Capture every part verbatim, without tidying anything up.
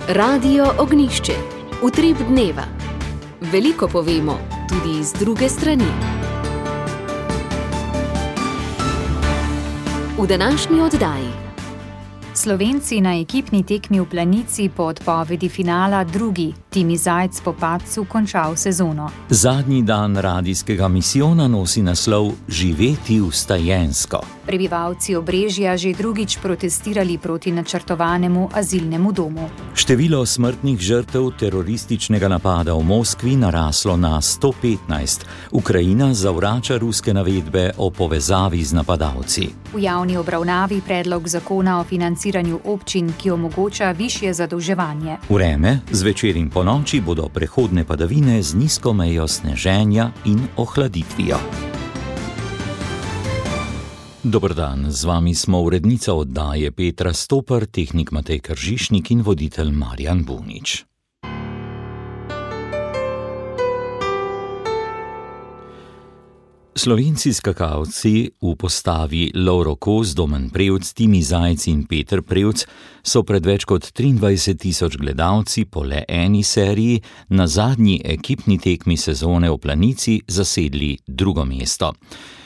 Radio Ognjišče, utrip dneva. Veliko povemo, tudi iz druge strani. V današnji oddaji. Slovenci na ekipni tekmi v Planici po odpovedi finala drugi. Timi Zajc po padcu končal sezono. Zadnji dan radijskega misijona nosi naslov Živeti vstajensko. Prebivalci Obrežja že drugič protestirali proti načrtovanemu azilnemu domu. Število smrtnih žrtev terorističnega napada v Moskvi naraslo na sto petnajst. Ukrajina zavrača ruske navedbe o povezavi z napadalci. V javni obravnavi predlog zakona o financiranju občin, ki omogoča višje zadolževanje. Vreme, zvečer in ponoči bodo prehodne padavine z nizko mejo sneženja in ohladitvijo. Dober dan, z vami smo urednica oddaje Petra Stopar, tehnik Matej Kržišnik in voditelj Marjan Bunič. Slovenci skakalci v postavi Lovro Kos, Domen Prevc, Timi Zajc in Peter Prevc so pred več kot triindvajset tisoč gledalci po le eni seriji na zadnji ekipni tekmi sezone v Planici zasedli drugo mesto.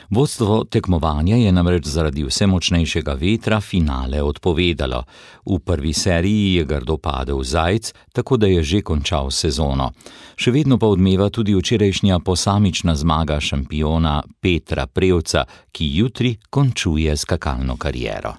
Vodstvo tekmovanja je namreč zaradi vse močnejšega vetra finale odpovedalo. V prvi seriji je grdo padel Zajc, tako da je že končal sezono. Še vedno pa odmeva tudi včerajšnja posamična zmaga šampiona Petra Prevca, ki jutri končuje skakalno kariero.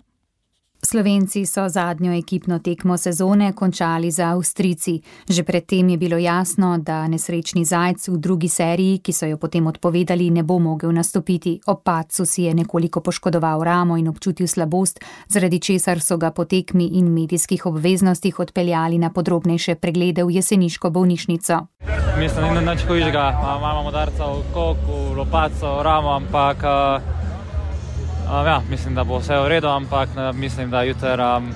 Slovenci so zadnjo ekipno tekmo sezone končali za Avstrijci. Že predtem je bilo jasno, da nesrečni Zajc v drugi seriji, ki so jo potem odpovedali, ne bo mogel nastopiti. Ob padcu si je nekoliko poškodoval ramo in občutil slabost, zaradi česar so ga po tekmi in medijskih obveznostih odpeljali na podrobnejše preglede v jeseniško bolnišnico. Mislim, da ni nič hujšega. Imamo udarca v kok, v lopaco, v ramo, ampak Um, ja, mislim, da bo vse v redu, ampak mislim, da jutri, um,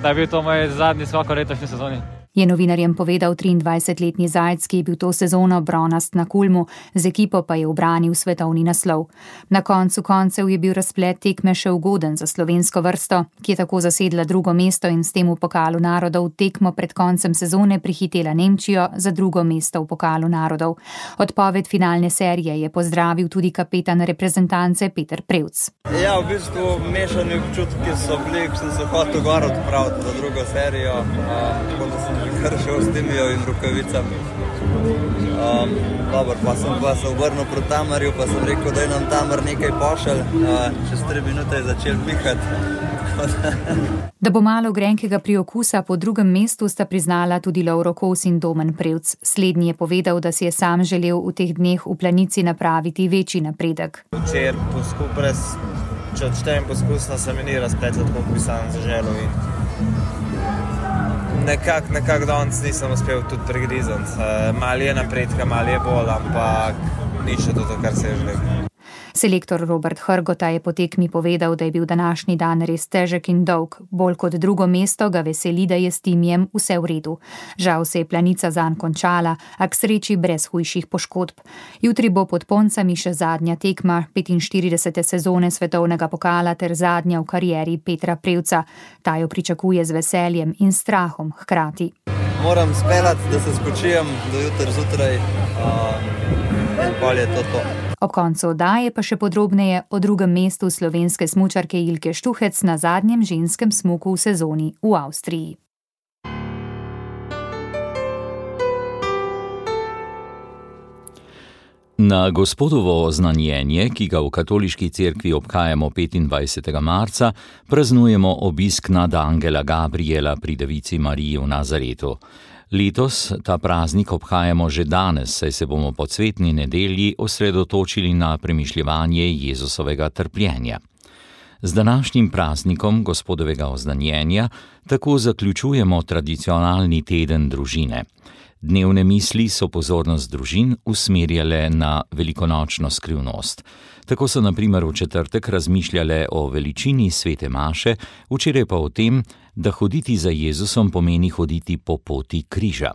da je bil to moj zadnji skok v letošnji sezoni. Je novinarjem povedal triindvajsetletni Zajc, ki je bil to sezono bronast na Kulmu, z ekipo pa je ubranil svetovni naslov. Na koncu koncev je bil razplet tekme še ugoden za slovensko vrsto, ki je tako zasedla drugo mesto in s tem v pokalu narodov tekmo pred koncem sezone prihitela Nemčijo za drugo mesto v pokalu narodov. Odpoved finalne serije je pozdravil tudi kapetan reprezentance Peter Prevc. Ja, v bistvu mešani občutki so bili, ko sem se hotel gor odpraviti za drugo serijo, tako da sem kar še s Timijo in rukavicami. Um, dobro, pa sem pa se obrnil proti Tamarju, pa sem rekel, da je nam Tamar nekaj pošelj. Uh, čez tri minute je začel pihati. Da bo malo grenkega priokusa po drugem mestu, sta priznala tudi Lovro Kos in Domen Prevc. Slednji je povedal, da si je sam želel v teh dneh v Planici napraviti večji napredek. Včer poskus, brez, če odštejem poskusno, se mi ni razpletlo, tako bi sam zaželil in Nekako nekak danes nisem uspel tudi pregrizati. Malo je napredka, malo je bolj, ampak ni še to, kar se je želel. Selektor Robert Hrgota je po tekmi povedal, da je bil današnji dan res težek in dolg. Bolj kot drugo mesto ga veseli, da je s Timijem vse v redu. Žal se je Planica zanj končala, a k sreči brez hujših poškodb. Jutri bo pod Poncami še zadnja tekma petinštiridesete sezone svetovnega pokala ter zadnja v karieri Petra Prevca. Ta jo pričakuje z veseljem in strahom hkrati. Moram speljati, da se spočijem do jutri zjutraj, in pol je to to. Ob koncu oddaje pa še podrobneje o drugem mestu slovenske smučarke Ilke Štuhec na zadnjem ženskem smuku v sezoni v Avstriji. Na Gospodovo oznanjenje, ki ga v katoliški cerkvi obhajamo petindvajsetega marca, praznujemo obisk nadangela Gabriela pri Devici Mariji v Nazaretu. Letos ta praznik obhajamo že danes, saj se bomo po cvetni nedelji osredotočili na premišljevanje Jezusovega trpljenja. Z današnjim praznikom Gospodovega oznanjenja tako zaključujemo tradicionalni teden družine. Dnevne misli so pozornost družin usmerjale na velikonočno skrivnost. Tako so na primer v četrtek razmišljale o veličini svete maše, včeraj pa o tem, da hoditi za Jezusom pomeni hoditi po poti križa.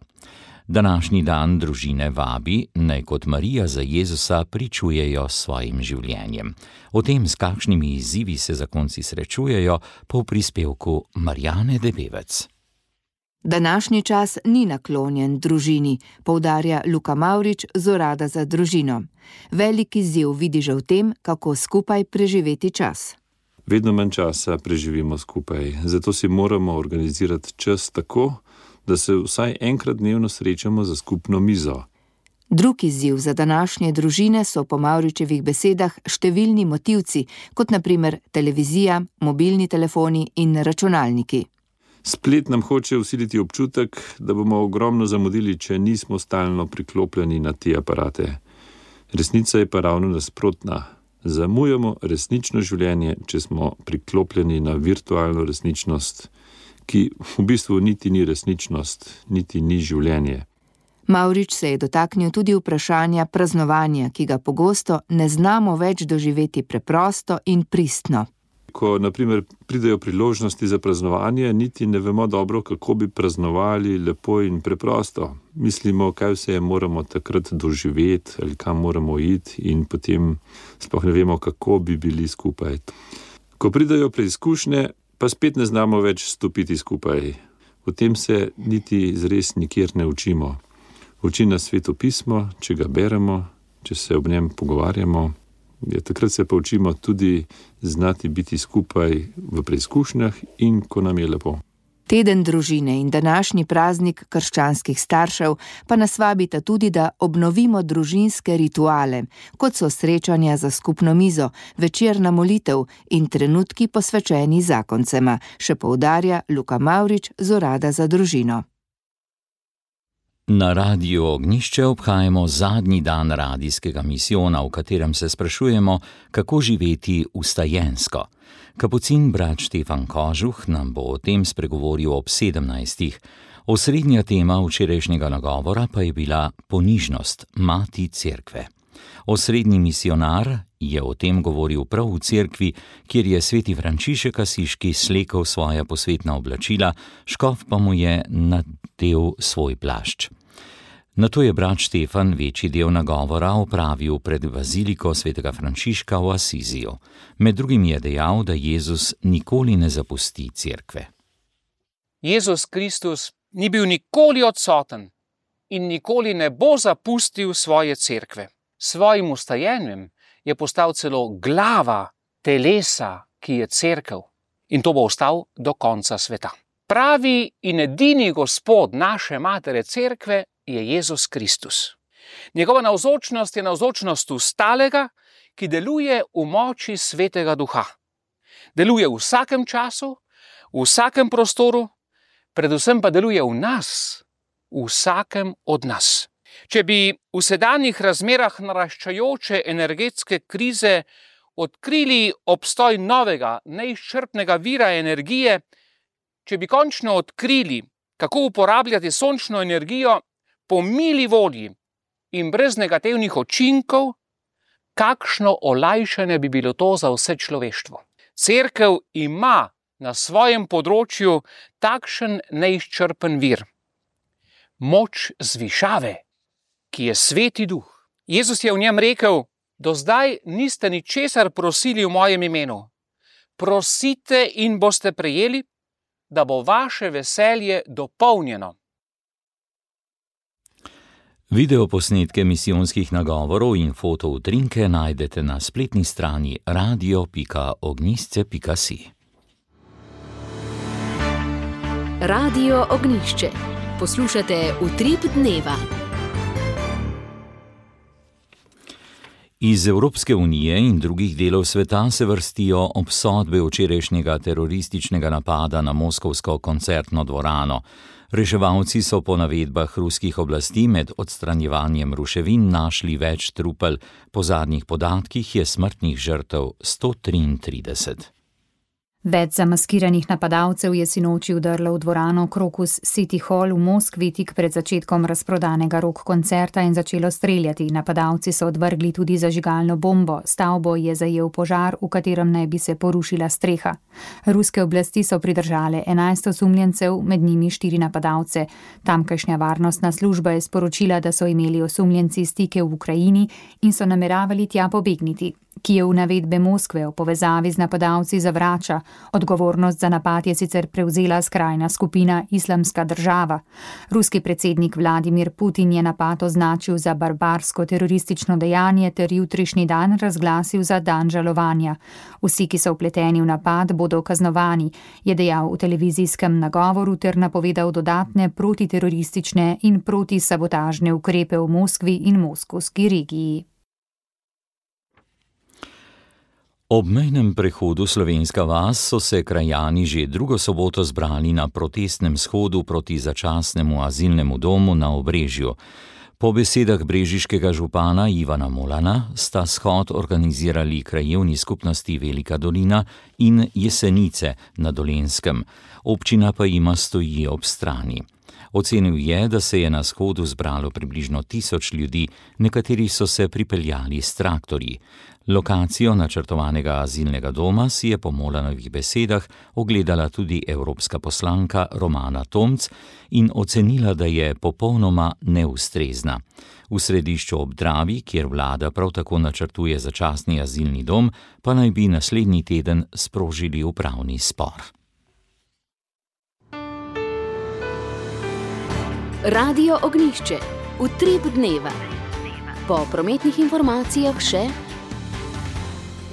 Današnji dan družine vabi, naj kot Marija za Jezusa pričujejo s svojim življenjem. O tem, s kakšnimi izzivi se zakonci srečujejo, pa v prispevku Marjane Debevec. Današnji čas ni naklonjen družini, poudarja Luka Mavrič z Urada za družino. Velik izziv vidi že v tem, kako skupaj preživeti čas. Vedno manj časa preživimo skupaj, zato si moramo organizirati čas tako, da se vsaj enkrat dnevno srečamo za skupno mizo. Drug izziv za današnje družine so po Mavričevih besedah številni motivci, kot na primer televizija, mobilni telefoni in računalniki. Splet nam hoče vsiliti občutek, da bomo ogromno zamudili, če nismo stalno priklopljeni na te aparate. Resnica je pa ravno nasprotna. Zamujamo resnično življenje, če smo priklopljeni na virtualno resničnost, ki v bistvu niti ni resničnost, niti ni življenje. Mavrič se je dotaknil tudi vprašanja praznovanja, ki ga pogosto ne znamo več doživeti preprosto in pristno. Ko, na primer, pridejo priložnosti za praznovanje, niti ne vemo dobro, kako bi praznovali lepo in preprosto. Mislimo, kaj vse moramo takrat doživeti ali kam moramo iti in potem sploh ne vemo, kako bi bili skupaj. Ko pridejo preizkušnje, pa spet ne znamo več stopiti skupaj. O tem se niti zres nikjer ne učimo. Uči nas Sveto pismo, če ga beremo, če se ob njem pogovarjamo. Ja, takrat se pa učimo tudi znati biti skupaj v preizkušnjah in ko nam je lepo. Teden družine in današnji praznik krščanskih staršev pa nas vabita tudi, da obnovimo družinske rituale, kot so srečanja za skupno mizo, večerna molitev in trenutki posvečeni zakoncema, še poudarja Luka Mavrič z Urada za družino. Na Radiu Ognjišče obhajamo zadnji dan radijskega misijona, v katerem se sprašujemo, kako živeti vstajensko. Kapucin brat Štefan Kožuh nam bo o tem spregovoril ob sedemnajstih. Osrednja tema včerajšnjega nagovora pa je bila ponižnost, mati cerkve. Osrednji misionar je o tem govoril prav v cerkvi, kjer je sveti Frančišek Asiški slekel svoja posvetna oblačila, škof pa mu je nadel svoj plašč. Nato je brat Štefan večji del nagovora opravil pred baziliko svetega Frančiška v Asiziju. Med drugim je dejal, da Jezus nikoli ne zapusti cerkve. Jezus Kristus ni bil nikoli odsoten in nikoli ne bo zapustil svoje cerkve. Svojim vstajenjem je postal celo glava telesa, ki je cerkev, in to bo ostal do konca sveta. Pravi in edini Gospod naše matere cerkve je Jezus Kristus. Njegova navzočnost je navzočnost vstalega, ki deluje v moči Svetega Duha. Deluje v vsakem času, v vsakem prostoru, predvsem pa deluje v nas, v vsakem od nas. Če bi v sedanjih razmerah naraščajoče energetske krize odkrili obstoj novega, neizčrpnega vira energije, če bi končno odkrili, kako uporabljati sončno energijo po mili volji in brez negativnih učinkov, kakšno olajšanje bi bilo to za vse človeštvo. Cerkev ima na svojem področju takšen neizčrpen vir. Moč zvišave, ki je Sveti Duh. Jezus je v njem rekel, do zdaj niste ničesar prosili v mojem imenu. Prosite in boste prejeli, da bo vaše veselje dopolnjeno. Videoposnetke misijonskih nagovorov in fotoutrinke najdete na spletni strani radio pika ognjišče pika si. Radio Ognjišče. Poslušate Utrip dneva. Iz Evropske unije in drugih delov sveta se vrstijo obsodbe včerajšnjega terorističnega napada na moskovsko koncertno dvorano. Reševalci so po navedbah ruskih oblasti med odstranjevanjem ruševin našli več trupel. Po zadnjih podatkih je smrtnih žrtev sto triintrideset. Več zamaskiranih napadalcev je sinoči vdrlo v dvorano Crocus City Hall v Moskvi tik pred začetkom razprodanega rock koncerta in začelo streljati. Napadalci so odvrgli tudi zažigalno bombo. Stavbo je zajel požar, v katerem naj bi se porušila streha. Ruske oblasti so pridržale enajst osumljencev, med njimi štiri napadalce. Tamkajšnja varnostna služba je sporočila, da so imeli osumljenci stike v Ukrajini in so nameravali tja pobegniti. Kijev navedbe Moskve o povezavi z napadalci zavrača. Odgovornost za napad je sicer prevzela skrajna skupina Islamska država. Ruski predsednik Vladimir Putin je napad označil za barbarsko teroristično dejanje ter jutrišnji dan razglasil za dan žalovanja. Vsi, ki so vpleteni v napad, bodo kaznovani, je dejal v televizijskem nagovoru ter napovedal dodatne protiteroristične in protisabotažne ukrepe v Moskvi in moskovski regiji. Ob mejnem prehodu Slovenska vas so se krajani že drugo soboto zbrali na protestnem shodu proti začasnemu azilnemu domu na Obrežju. Po besedah brežiškega župana Ivana Molana sta shod organizirali krajevni skupnosti Velika Dolina in Jesenice na Dolenjskem. Občina pa jima stoji ob strani. Ocenil je, da se je na shodu zbralo približno tisoč ljudi, nekateri so se pripeljali s traktorji. Lokacijo načrtovanega azilnega doma si je po Molanovih besedah ogledala tudi evropska poslanka Romana Tomc in ocenila, da je popolnoma neustrezna. V središču ob Dravi, kjer vlada prav tako načrtuje začasni azilni dom, pa naj bi naslednji teden sprožili upravni spor. Radio Ognjišče, utrip dneva. Po prometnih informacijah še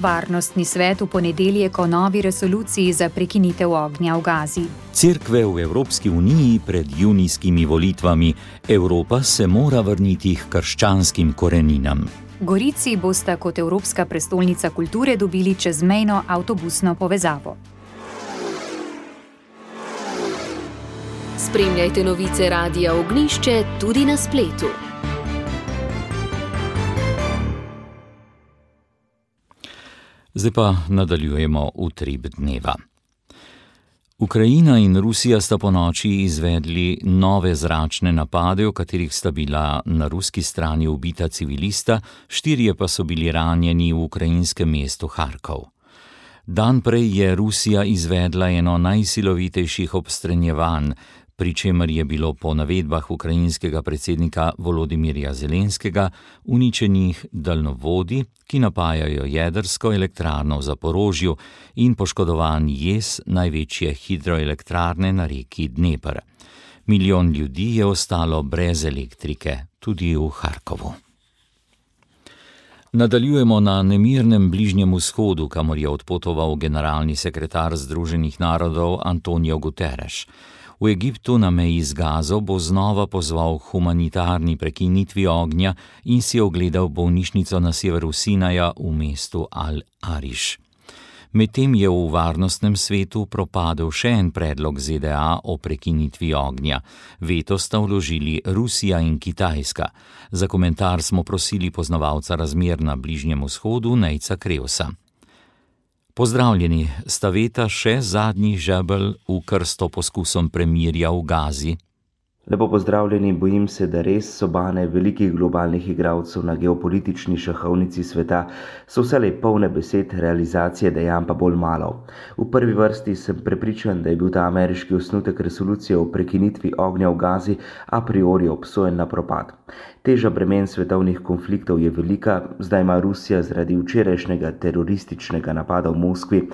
Varnostni svet v ponedeljek o novi resoluciji za prekinitev ognja v Gazi. Cerkve v Evropski uniji pred junijskimi volitvami. Evropa se mora vrniti k krščanskim koreninam. Gorici bosta kot Evropska prestolnica kulture dobili čezmejno avtobusno povezavo. Spremljajte novice Radia Ognjišče tudi na spletu. Zdaj pa nadaljujemo utrip dneva. Ukrajina in Rusija sta ponoči izvedli nove zračne napade, v katerih sta bila na ruski strani ubita civilista, štirje pa so bili ranjeni v ukrajinskem mestu Harkov. Dan prej je Rusija izvedla eno najsilovitejših obstrenjevanj, pri čemer je bilo po navedbah ukrajinskega predsednika Volodimirja Zelenskega uničenih daljnovodi, ki napajajo jedrsko elektrarno v Zaporožju, in poškodovan jez največje hidroelektrarne na reki Dnepr. Milijon ljudi je ostalo brez elektrike, tudi v Harkovu. Nadaljujemo na nemirnem Bližnjem vzhodu, kamor je odpotoval generalni sekretar Združenih narodov Antonio Guterres. V Egiptu na meji z Gazo bo znova pozval humanitarni prekinitvi ognja in si ogledal bolnišnico na severu Sinaja v mestu Al-Ariš. Medtem je v varnostnem svetu propadel še en predlog Z D A o prekinitvi ognja. Veto sta vložili Rusija in Kitajska. Za komentar smo prosili poznavalca razmer na Bližnjem vzhodu Nejca Krevsa. Pozdravljeni, sta veta še zadnji žebelj v krsto poskusom premirja v Gazi? Lepo pozdravljeni, bojim se, da res sobane velikih globalnih igralcev na geopolitični šahovnici sveta so vselej polne besed, realizacije dejanj pa bolj malo. V prvi vrsti sem prepričan, da je bil ta ameriški osnutek resolucije o prekinitvi ognja v Gazi a priori obsojen na propad. Teža bremen svetovnih konfliktov je velika, zdaj ima Rusija zaradi včerajšnjega terorističnega napada v Moskvi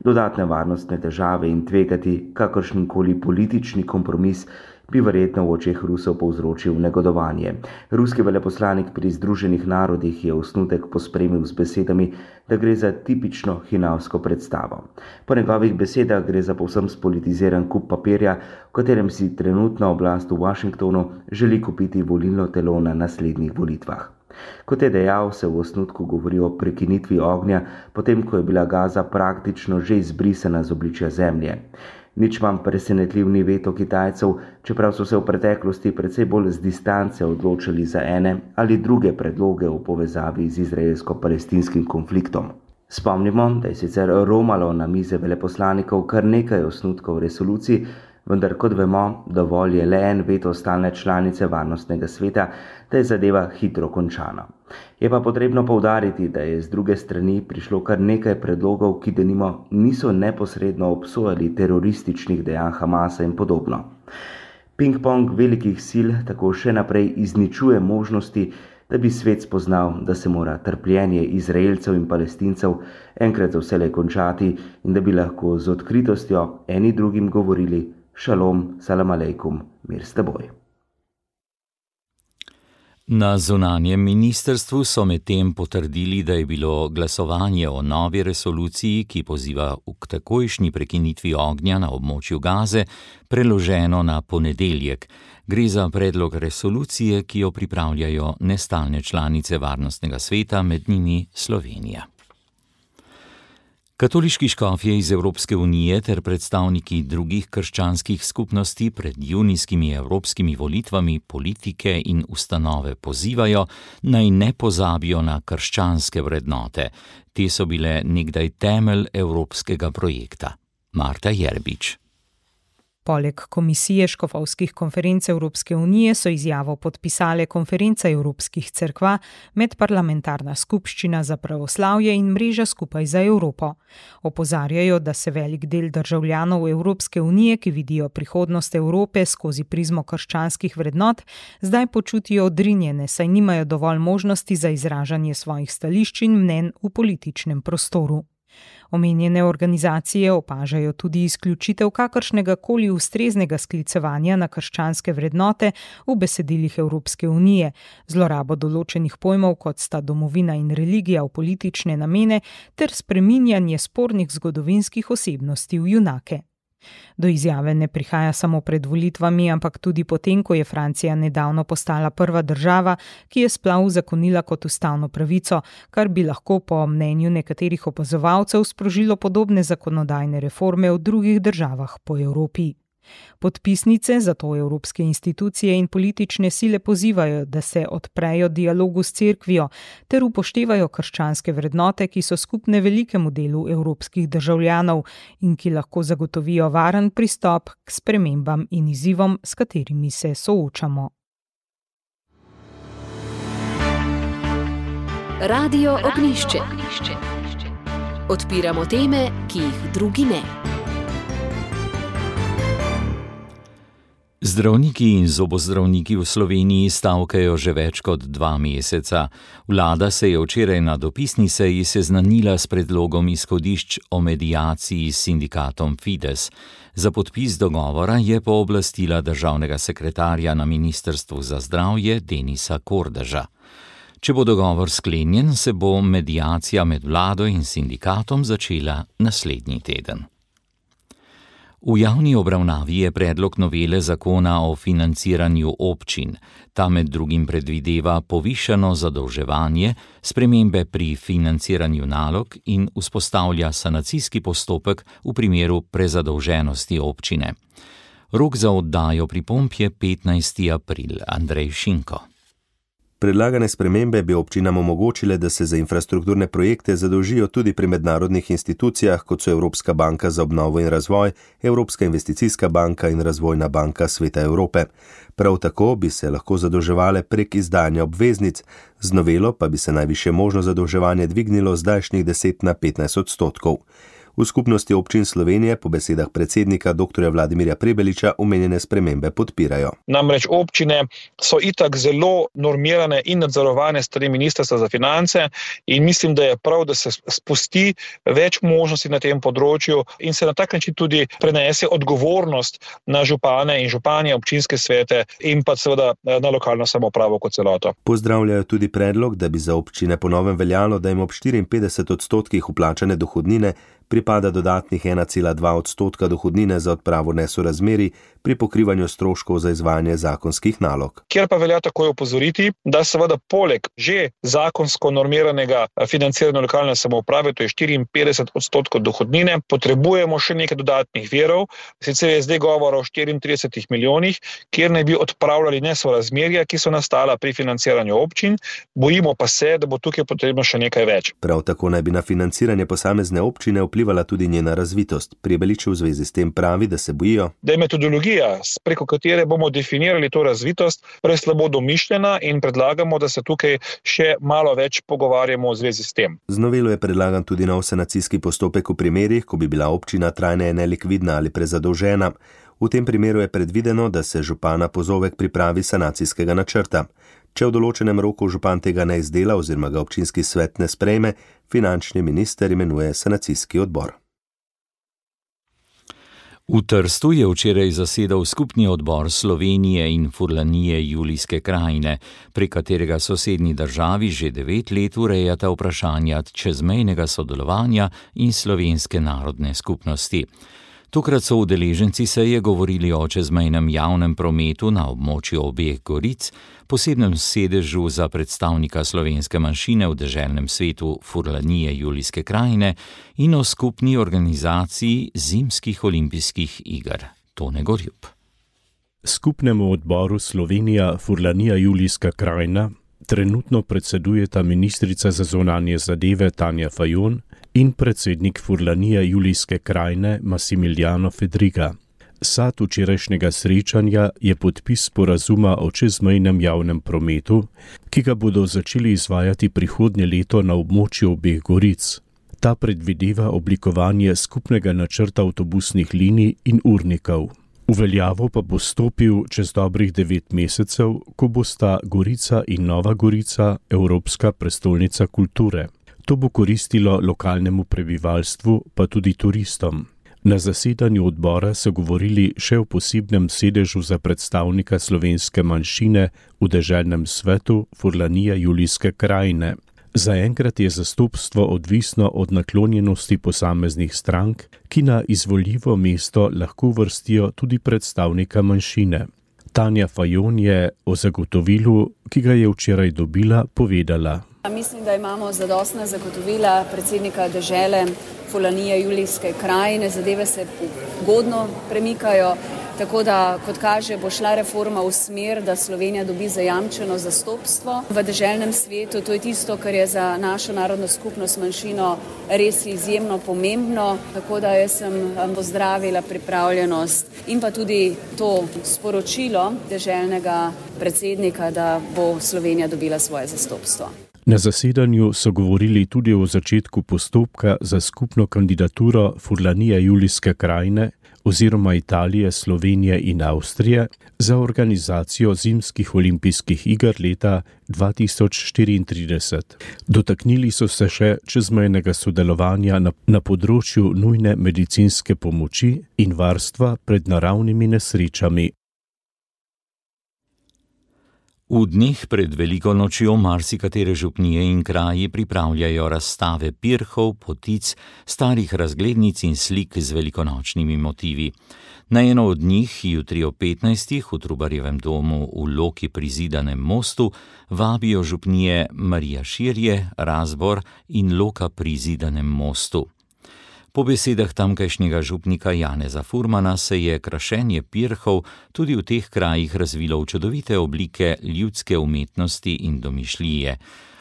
dodatne varnostne težave in tvegati kakršenkoli politični kompromis bi verjetno v očeh Rusov povzročil negodovanje. Ruski veleposlanik pri Združenih narodih je osnutek pospremil z besedami, da gre za tipično hinavsko predstavo. Po njegovih besedah gre za povsem spolitiziran kup papirja, v katerem si trenutna oblast v Washingtonu želi kupiti volilno telo na naslednjih volitvah. Kot je dejal, se v osnutku govori o prekinitvi ognja, potem ko je bila Gaza praktično že izbrisana z obličja zemlje. Nič manj presenetljiv ni veto Kitajcev, čeprav so se v preteklosti precej bolj z distance odločili za ene ali druge predloge v povezavi z izraelsko-palestinskim konfliktom. Spomnimo, da je sicer romalo na mize veleposlanikov kar nekaj osnutkov resolucij, vendar kot vemo, dovolj je le en veto stalne članice varnostnega sveta, da je zadeva hitro končana. Je pa potrebno poudariti, da je z druge strani prišlo kar nekaj predlogov, ki denimo niso neposredno obsojali terorističnih dejanj Hamasa in podobno. Ping-pong velikih sil tako še naprej izničuje možnosti, da bi svet spoznal, da se mora trpljenje Izraelcev in Palestincev enkrat za vselej končati in da bi lahko z odkritostjo eni drugim govorili šalom, salam alejkum, mir s teboj. Na zunanjem ministrstvu so medtem potrdili, da je bilo glasovanje o novi resoluciji, ki poziva k takojšnji prekinitvi ognja na območju Gaze, preloženo na ponedeljek. Gre za predlog resolucije, ki jo pripravljajo nestalne članice Varnostnega sveta, med njimi Slovenija. Katoliški škofje iz Evropske unije ter predstavniki drugih krščanskih skupnosti pred junijskimi evropskimi volitvami politike in ustanove pozivajo, naj ne pozabijo na krščanske vrednote. Te so bile nekdaj temelj evropskega projekta. Marta Jerbič. Poleg Komisije škofovskih konferenc Evropske unije so izjavo podpisale Konferenca evropskih cerkva, Medparlamentarna skupščina za pravoslavje in Mreža skupaj za Evropo. Opozarjajo, da se velik del državljanov Evropske unije, ki vidijo prihodnost Evrope skozi prizmo krščanskih vrednot, zdaj počutijo odrinjene, saj nimajo dovolj možnosti za izražanje svojih stališč in mnenj v političnem prostoru. Omenjene organizacije opažajo tudi izključitev kakršnega koli ustreznega sklicevanja na krščanske vrednote v besedilih Evropske unije, zlorabo določenih pojmov, kot sta domovina in religija, v politične namene ter spreminjanje spornih zgodovinskih osebnosti v junake. Do izjave ne prihaja samo pred volitvami, ampak tudi potem, ko je Francija nedavno postala prva država, ki je splav uzakonila kot ustavno pravico, kar bi lahko po mnenju nekaterih opazovalcev sprožilo podobne zakonodajne reforme v drugih državah po Evropi. Podpisnice zato evropske institucije in politične sile pozivajo, da se odprejo dialogu s cerkvijo ter upoštevajo krščanske vrednote, ki so skupne velikemu delu evropskih državljanov in ki lahko zagotovijo varen pristop k spremembam in izzivom, s katerimi se soočamo. Radio Ognjišče. Odpiramo teme, ki jih drugi ne. Zdravniki in zobozdravniki v Sloveniji stavkajo že več kot dva meseca. Vlada se je včeraj na dopisni seji seznanila s predlogom izhodišč o mediaciji s sindikatom Fides. Za podpis dogovora je pooblastila državnega sekretarja na Ministrstvu za zdravje Denisa Kordeža. Če bo dogovor sklenjen, se bo mediacija med vlado in sindikatom začela naslednji teden. V javni obravnavi je predlog novele zakona o financiranju občin. Ta med drugim predvideva povišano zadolževanje, spremembe pri financiranju nalog in vzpostavlja sanacijski postopek v primeru prezadolženosti občine. Rok za oddajo pripomb je petnajsti april. Andrej Šinko. Predlagane spremembe bi občinam omogočile, da se za infrastrukturne projekte zadolžijo tudi pri mednarodnih institucijah, kot so Evropska banka za obnovo in razvoj, Evropska investicijska banka in Razvojna banka Sveta Evrope. Prav tako bi se lahko zadolževale prek izdanja obveznic, z novelo pa bi se najvišje možno zadolževanje dvignilo z zdajšnjih deset na petnajst odstotkov. V skupnosti občin Slovenije po besedah predsednika doktorja Vladimirja Prebeliča omenjene spremembe podpirajo. Namreč občine so itak zelo normirane in nadzorovane strani Ministrstva za finance in mislim, da je prav, da se spusti več možnosti na tem področju in se na tak način tudi prenese odgovornost na župane in županje, občinske svete in pa seveda na lokalno samoupravo kot celoto. Pozdravljajo tudi predlog, da bi za občine po novem veljalo, da jim ob štiriinpetdeset odstotkih vplačane dohodnine pripada dodatnih ena cela dva odstotka dohodnine za odpravo nesorazmerij pri pokrivanju stroškov za izvajanje zakonskih nalog. Kjer pa velja takoj opozoriti, da seveda poleg že zakonsko normiranega financiranja lokalne samouprave, to je štiriinpetdeset odstotkov dohodnine, potrebujemo še nekaj dodatnih virov, sicer je zdaj govora o štiriintridesetih milijonih, kjer naj bi odpravljali nesorazmerja, ki so nastala pri financiranju občin, bojimo pa se, da bo tukaj potrebno še nekaj več. Prav tako naj bi na financiranje posamezne občine vplivala tudi njena razvitost. Prebelič v zvezi s tem pravi, da se bojijo, da je metodologija, preko katere bomo definirali to razvitost, preslabo domišljena in predlagamo, da se tukaj še malo več pogovarjamo v zvezi s tem. Z novelo je predlagan tudi nov sanacijski postopek v primerih, ko bi bila občina trajneje nelikvidna ali prezadolžena. V tem primeru je predvideno, da se župana pozove k pripravi sanacijskega načrta. Če v določenem roku župan tega ne izdela oziroma ga občinski svet ne sprejme, finančni minister imenuje sanacijski odbor. V Trstu je včeraj zasedal skupni odbor Slovenije in Furlanije Julijske krajine, prek katerega sosednji državi že devet let urejata vprašanja čezmejnega sodelovanja in slovenske narodne skupnosti. Tokrat so udeleženci seje govorili o čezmejnem javnem prometu na območju obeh goric, posebnem sedežu za predstavnika slovenske manjšine v deželnem svetu Furlanije Julijske krajine in o skupni organizaciji zimskih olimpijskih iger. Tone Gorjup. Skupnemu odboru Slovenija Furlanija Julijska krajina trenutno predsedujeta ministrica za zunanje zadeve Tanja Fajon in predsednik Furlanije Julijske krajine Massimiliano Fedriga. Sad včerajšnjega srečanja je podpis sporazuma o čezmejnem javnem prometu, ki ga bodo začeli izvajati prihodnje leto na območju obeh goric. Ta predvideva oblikovanje skupnega načrta avtobusnih linij in urnikov. V veljavo pa bo stopil čez dobrih devet mesecev, ko bosta Gorica in Nova Gorica evropska prestolnica kulture. To bo koristilo lokalnemu prebivalstvu, pa tudi turistom. Na zasedanju odbora so govorili še o posebnem sedežu za predstavnika slovenske manjšine v deželnem svetu Furlanije Julijske krajine. Zaenkrat je zastopstvo odvisno od naklonjenosti posameznih strank, ki na izvoljivo mesto lahko vrstijo tudi predstavnika manjšine. Tanja Fajon je o zagotovilu, ki ga je včeraj dobila, povedala. Mislim, da imamo zadostna zagotovila predsednika dežele Furlanije Julijske krajine, zadeve se ugodno premikajo, tako da, kot kaže, bo šla reforma v smer, da Slovenija dobi zajamčeno zastopstvo v deželnem svetu. To je tisto, kar je za našo narodno skupnost manjšino res izjemno pomembno, tako da jaz sem pozdravila pripravljenost in pa tudi to sporočilo deželnega predsednika, da bo Slovenija dobila svoje zastopstvo. Na zasedanju so govorili tudi o začetku postopka za skupno kandidaturo Furlanije Julijske krajine oziroma Italije, Slovenije in Avstrije za organizacijo zimskih olimpijskih iger leta dva tisoč štiriintrideset. Dotaknili so se še čezmejnega sodelovanja na, na področju nujne medicinske pomoči in varstva pred naravnimi nesrečami. V dneh pred veliko nočjo marsikatere župnije in kraji pripravljajo razstave pirhov, potic, starih razglednic in slik z velikonočnimi motivi. Na eno od njih jutri ob petnajstih v Trubarjevem domu v Loki pri Zidanem mostu vabijo župnije Marija Širje, Razbor in Loka pri Zidanem mostu. Po besedah tamkajšnjega župnika Janeza Furmana se je krašenje pirhov tudi v teh krajih razvilo v čudovite oblike ljudske umetnosti in domišljije.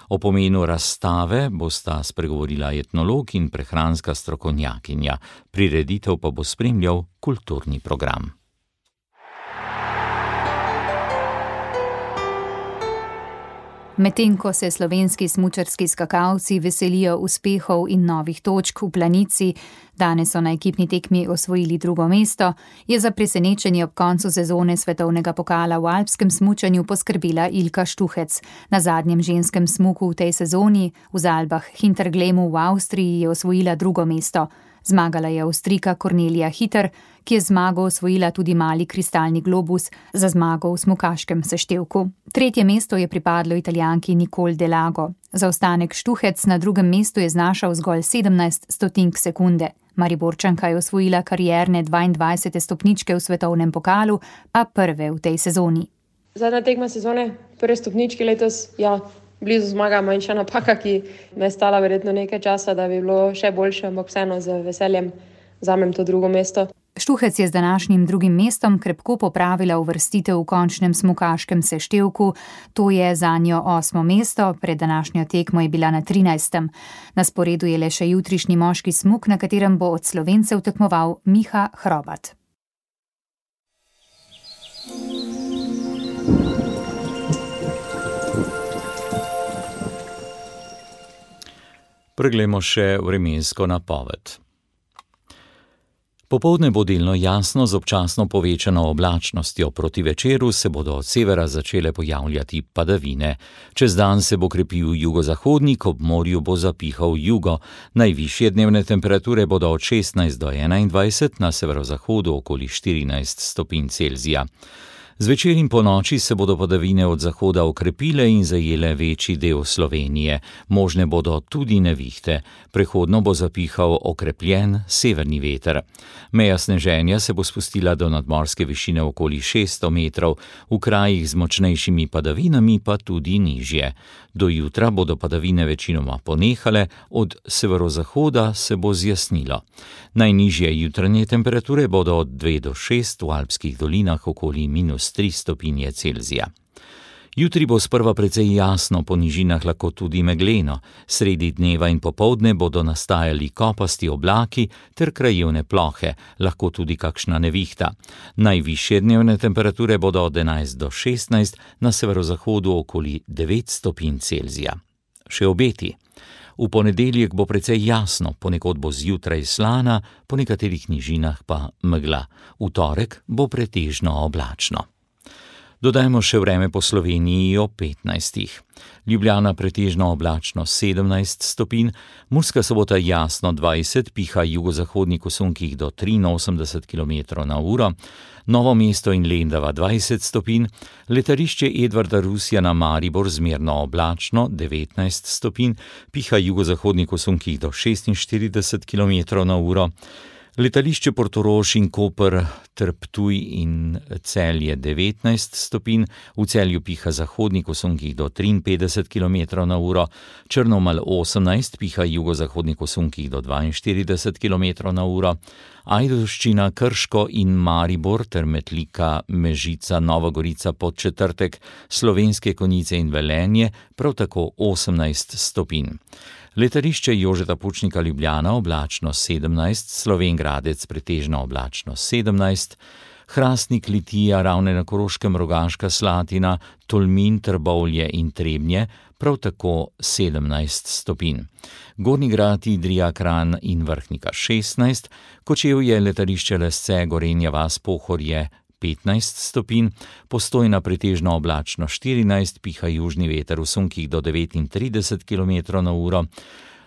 O pomenu razstave bosta spregovorila etnolog in prehranska strokovnjakinja. Prireditev pa bo spremljal kulturni program. Medtem ko se slovenski smučarski skakalci veselijo uspehov in novih točk v planici, danes so na ekipni tekmi osvojili drugo mesto, je za presenečenje ob koncu sezone svetovnega pokala v alpskem smučanju poskrbela Ilka Štuhec. Na zadnjem ženskem smuku v tej sezoni v Zalbah Hinterglemu v Avstriji je osvojila drugo mesto. Zmagala je Avstrijka Kornelija Hiter, ki je zmago osvojila tudi mali kristalni globus za zmago v smukaškem seštevku. Tretje mesto je pripadlo Italijanki Nicole Delago. Zaostanek Štuhec na drugem mestu je znašal zgolj sedemnajst stotink sekunde. Mariborčanka je osvojila karierne dvaindvajsete stopničke v svetovnem pokalu, a prve v tej sezoni. Zadnja tekma sezone, prve stopničke letos, ja. Blizu zmaga manjša napaka, ki me je stala verjetno nekaj časa, da bi bilo še boljše, ampak vseeno z veseljem vzamem to drugo mesto. Štuhec je z današnjim drugim mestom krepko popravila uvrstitev v končnem smukaškem seštevku, to je zanjo osmo mesto, pred današnjo tekmo je bila na trinajstem. Na sporedu je le še jutrišnji moški smuk, na katerem bo od Slovencev tekmoval Miha Hrobat. Preglejmo še vremensko napoved. Popoldne bo delno jasno z občasno povečano oblačnostjo, proti večeru se bodo od severa začele pojavljati padavine. Čez dan se bo krepil jugozahodnik, ob morju bo zapihal jugo. Najvišje dnevne temperature bodo od šestnajst do enaindvajset, na severozahodu okoli štirinajst stopinj Celzija. Zvečer in ponoči se bodo padavine od zahoda okrepile in zajele večji del Slovenije. Možne bodo tudi nevihte. Prehodno bo zapihal okrepljen severni veter. Meja sneženja se bo spustila do nadmorske višine okoli šeststo metrov, v krajih z močnejšimi padavinami pa tudi nižje. Do jutra bodo padavine večinoma ponehale, od severozahoda se bo zjasnilo. Najnižje jutranje temperature bodo od dve do šest, v alpskih dolinah okoli minus tri stopinje Celzija. Jutri bo sprva precej jasno, po nižinah lahko tudi megleno. Sredi dneva in popoldne bodo nastajali kopasti oblaki ter krajevne plohe, lahko tudi kakšna nevihta. Najvišje dnevne temperature bodo od enajst do šestnajst, na severozahodu okoli devet stopinj Celzija. Še obeti. V ponedeljek bo precej jasno, ponekod bo zjutraj slana, po nekaterih nižinah pa megla. V torek bo pretežno oblačno. Dodajmo še vreme po Sloveniji ob petnajstih. Ljubljana pretežno oblačno sedemnajst stopinj, Murska Sobota jasno dvajset, piha jugozahodnik v sunkih do triinosemdeset kilometrov na uro, Novo mesto in Lendava dvajset stopinj, letališče Edvarda Rusjana Maribor zmerno oblačno devetnajst stopinj, piha jugozahodnik v sunkih do šestinštirideset kilometrov na uro, letališče Portorož in Koper ter Ptuj in Celje devetnajst stopinj, v Celju piha zahodnik v sunkih do triinpetdeset kilometrov na uro, Črnomelj osemnajst, piha jugozahodnik v sunkih do dvainštirideset kilometrov na uro, Ajdovščina, Krško in Maribor ter Metlika, Mežica, Nova Gorica, Podčetrtek, Slovenske Konjice in Velenje prav tako osemnajst stopinj. Letališče Jožeta Pučnika Ljubljana oblačno sedemnajst, Slovenj Gradec pretežno oblačno sedemnajst, Hrastnik, Litija, Ravne na Koroškem, Rogaška Slatina, Tolmin, Trbovlje in Trebnje prav tako sedemnajst stopinj. Gornji Grad, Idrija, Kranj in Vrhnika šestnajst, Kočevje, letališče Lesce, Gorenja vas, Pohorje petnajst stopinj, Postojna pretežno oblačno štirinajst, piha južni veter v sunkih do devetintrideset kilometrov na uro,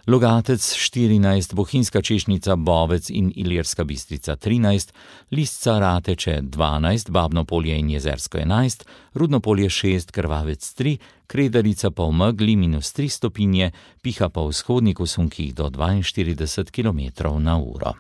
Logatec štirinajst, Bohinjska Češnica, Bovec in Ilirska Bistrica trinajst, Lisca, Rateče dvanajst, Babno Polje in Jezersko enajst, Rudno Polje šest, Krvavec tri, Kredarica pa v megli minus tri stopinje, piha pa vzhodnik v sunkih do dvainštirideset kilometrov na uro.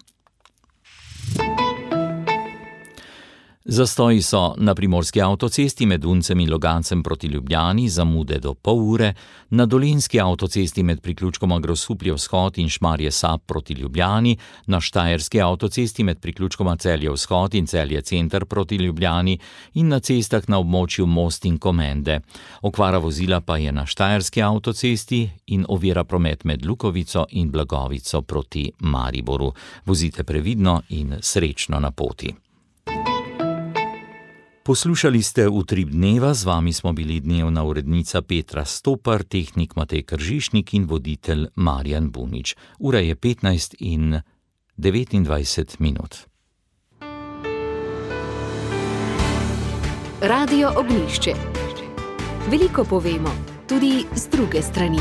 Zastoji so na primorski avtocesti med Uncem in Logancem proti Ljubljani, zamude do pol ure, na dolenjski avtocesti med priključkoma Grosuplje vzhod in Šmarje Sap proti Ljubljani, na štajerski avtocesti med priključkoma Celje vzhod in Celje center proti Ljubljani in na cestah na območju Most in Komende. Okvara vozila pa je na štajerski avtocesti in ovira promet med Lukovico in Blagovico proti Mariboru. Vozite previdno in srečno na poti. Poslušali ste Utrip dneva, z vami smo bili dnevna urednica Petra Stopar, tehnik Matej Kržišnik in voditelj Marjan Bunič. Ura je petnajst in devetindvajset minut. Radio Ognjišče. Veliko povemo, tudi z druge strani.